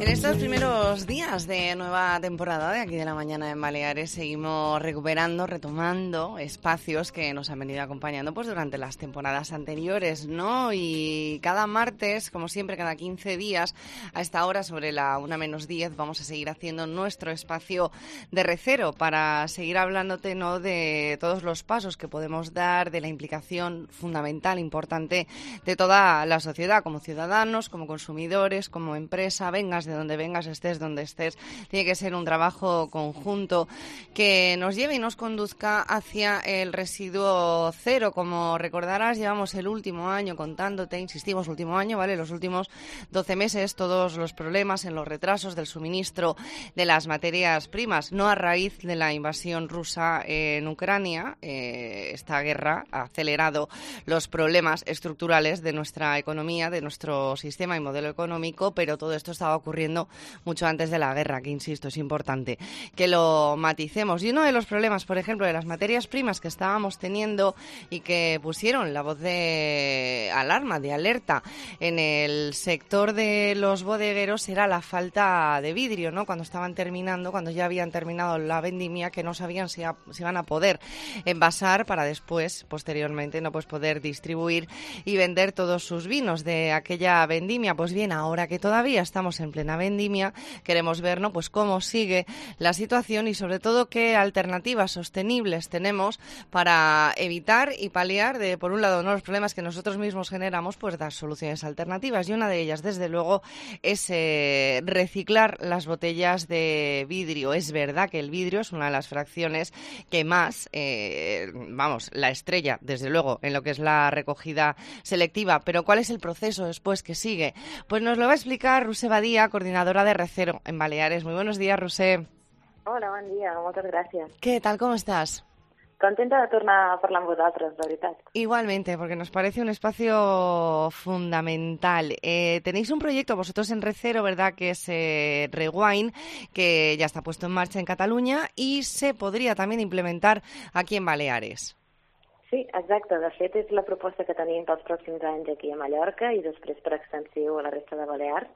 estos primeros días de nueva temporada de Aquí de la Mañana en Baleares seguimos recuperando, retomando espacios que nos han venido acompañando pues durante las temporadas anteriores, ¿no? Y cada martes, como siempre, cada 15 días, a esta hora, sobre la 1:10, vamos a seguir haciendo nuestro espacio de recero para seguir hablándote, ¿no?, de todos los pasos que podemos dar, de la implicación fundamental, importante de toda la sociedad, como ciudadanos, como consumidores, como empresa, vengas de donde vengas, estés donde estés. Tiene que ser un trabajo conjunto que nos lleve y nos conduzca hacia el residuo cero. Como recordarás, llevamos el último año contándote, insistimos, último año, ¿vale? Los últimos 12 meses, todos los problemas en los retrasos del suministro de las materias primas, no a raíz de la invasión rusa en Ucrania. Esta guerra ha acelerado los problemas estructurales de nuestra economía, de nuestro sistema y modelo económico, pero todo esto estaba ocurriendo mucho antes de la guerra, que insisto, es importante que lo maticemos. Y uno de los problemas, por ejemplo, de las materias primas que estábamos teniendo y que pusieron la voz de alarma, de alerta en el sector de los bodegueros era la falta de vidrio, ¿no? Cuando estaban terminando, cuando ya habían terminado la vendimia, que no sabían si iban a poder envasar para después, posteriormente, no pues poder distribuir y vender todos sus vinos de aquella vendimia. Pues bien, ahora que todavía estamos en plena vendimia, queremos ver, ¿no?, pues cómo sigue la situación y sobre todo qué alternativas sostenibles tenemos para evitar y paliar por un lado, ¿no?, los problemas que nosotros mismos generamos, pues dar soluciones alternativas. Y una de ellas, desde luego, es reciclar las botellas de vidrio. Es verdad que el vidrio es una de las fracciones que más, la estrella, desde luego, en lo que es la recogida selectiva. Pero ¿cuál es el proceso después que sigue? Pues nos lo va a explicar Roser Badia, coordinadora de Recero en Baleares. Muy buenos días, Roser. Hola, bon dia, moltes gràcies. ¿Qué tal? ¿Cómo estás? Contenta de tornar a parlar amb vosaltres, de veritat. Igualmente, porque nos parece un espacio fundamental. Tenéis un proyecto vosotros en Recero, ¿verdad?, que es Rewind, que ya está puesto en marcha en Catalunya y se podría también implementar aquí en Baleares. Sí, exacte. De fet, és la proposta que tenim pels pròxims anys aquí a Mallorca i després per extensió a la resta de Balears,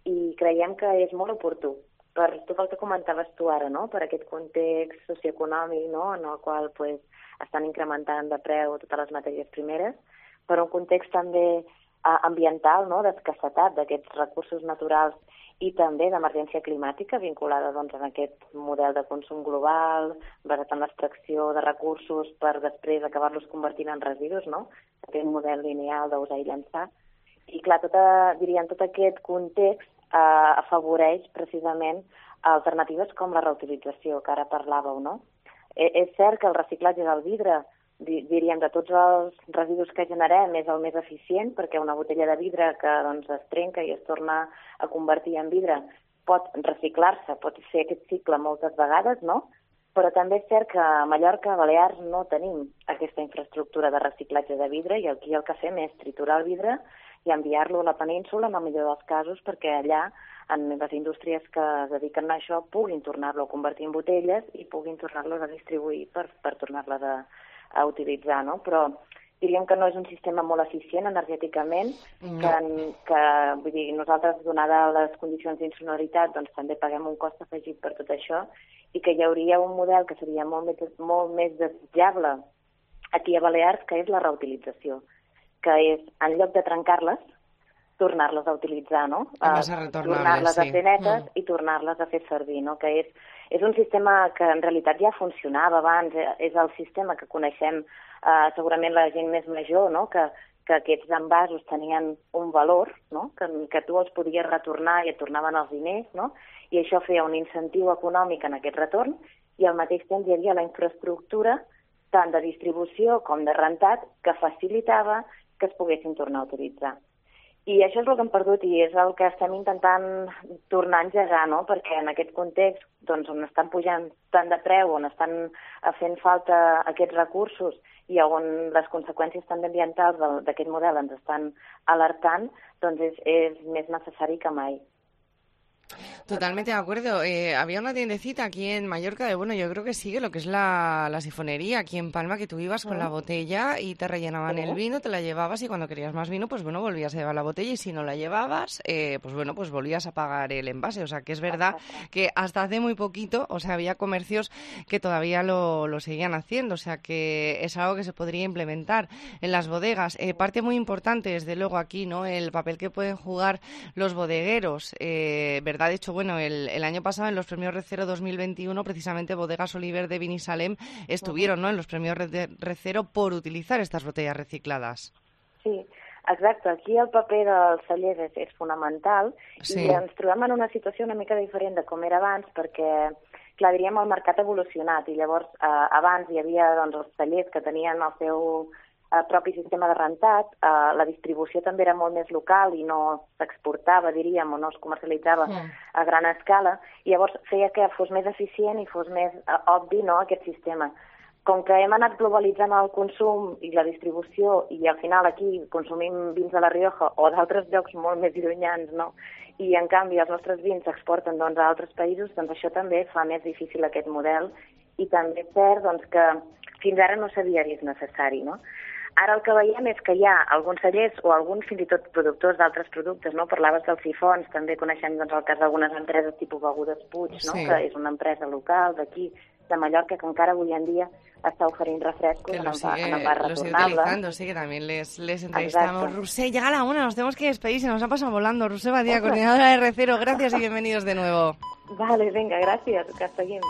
i creiem que és molt oportú per tot el que comentaves tu ara, no?, per aquest context socioeconòmic, no?, en el qual pues, estan incrementant de preu totes les matèries primeres, per un context també ambiental, no?, d'escassetat d'aquests recursos naturals i també d'emergència climàtica vinculada doncs, a aquest model de consum global, basat en l'extracció de recursos per després acabar-los convertint en residus, no?, aquest model lineal d'usar i llançar. I clar, tot aquest context afavoreix precisament alternatives com la reutilització, que ara parlàveu, no? És cert que el reciclatge del vidre, diríem, de tots els residus que generem, és el més eficient, perquè una botella de vidre que doncs, es trenca i es torna a convertir en vidre pot reciclar-se, pot fer aquest cicle moltes vegades, no? Però també és cert que a Mallorca, a Balears, no tenim aquesta infraestructura de reciclatge de vidre i aquí el que fem és triturar el vidre i enviar-lo a la península, en el millor dels casos, perquè allà, en les indústries que es dediquen a això, puguin tornar-lo a convertir en botelles i puguin tornar-los a distribuir per tornar-les a utilitzar, no? Però diríem que no és un sistema molt eficient energèticament, que vull dir, nosaltres, donada les condicions d'insonoritat, doncs també paguem un cost afegit per tot això i que hi hauria un model que seria molt més desitjable aquí a Balears, que és la reutilització, que és, en lloc de trencar-les, tornar-les a utilitzar, no? Tornar-les a fer netes i tornar-les a fer servir, no? Que és un sistema que en realitat ja funcionava abans, és el sistema que coneixem segurament la gent més major, no? Que aquests envasos tenien un valor, no? Que tu els podies retornar i et tornaven els diners, no? I això feia un incentiu econòmic en aquest retorn i al mateix temps hi havia la infraestructura tant de distribució com de rentat que facilitava que es poguessin tornar a utilitzar. I això és el que hem perdut i és el que estem intentant tornar a engegar, no? Perquè en aquest context, doncs, on estan pujant tant de preu, on estan fent falta aquests recursos i on les conseqüències també ambientals d'aquest model ens estan alertant, doncs és més necessari que mai. Totalmente de acuerdo. Había una tiendecita aquí en Mallorca de, bueno, yo creo que sigue lo que es la sifonería aquí en Palma, que tú ibas con la botella y te rellenaban el vino, te la llevabas y cuando querías más vino, pues bueno, volvías a llevar la botella y si no la llevabas, pues bueno, pues volvías a pagar el envase. O sea, que es verdad que hasta hace muy poquito, o sea, había comercios que todavía lo seguían haciendo, o sea, que es algo que se podría implementar en las bodegas. Parte muy importante, desde luego, aquí, ¿no? El papel que pueden jugar los bodegueros, ¿verdad? De hecho, bueno, el año pasado en los premios Recero 2021, precisamente Bodegas Oliver de Binissalem estuvieron, ¿no?, en los premios Recero por utilizar estas botellas recicladas. Sí, exacte. Aquí el paper dels cellers és fonamental i ens trobem en una situació una mica diferent de com era abans perquè, clar, diríem, el mercat ha evolucionat i llavors abans hi havia doncs, els cellers que tenien el seu propi sistema de rentat, la distribució també era molt més local i no s'exportava, diríem, o no es comercialitzava a gran escala, i llavors feia que fos més eficient i fos més obvi, no, aquest sistema. Com que hem anat globalitzant el consum i la distribució i al final aquí consumim vins de la Rioja o d'altres llocs molt més llunyans, no? I en canvi els nostres vins s'exporten doncs, a altres països, doncs això també fa més difícil aquest model i també és cert doncs, que fins ara no s'havia vist necessari, no? Ara el que veiem és que hi ha alguns cellers o alguns fins i tot productors d'altres productes, no? Parlaves dels sifons, també coneixem doncs, el cas d'algunes empreses tipus Begudes Puig, no? Que és una empresa local d'aquí, de Mallorca, que encara avui en dia está ofreciendo refrescos en barra lo sigue utilizando, sí, que también les entrevistamos. Rusé, llega la una, nos tenemos que despedir, se nos ha pasado volando. Rusé Badía, coordinadora de Recero, gracias y bienvenidos de nuevo. Vale, venga, gracias, que seguim.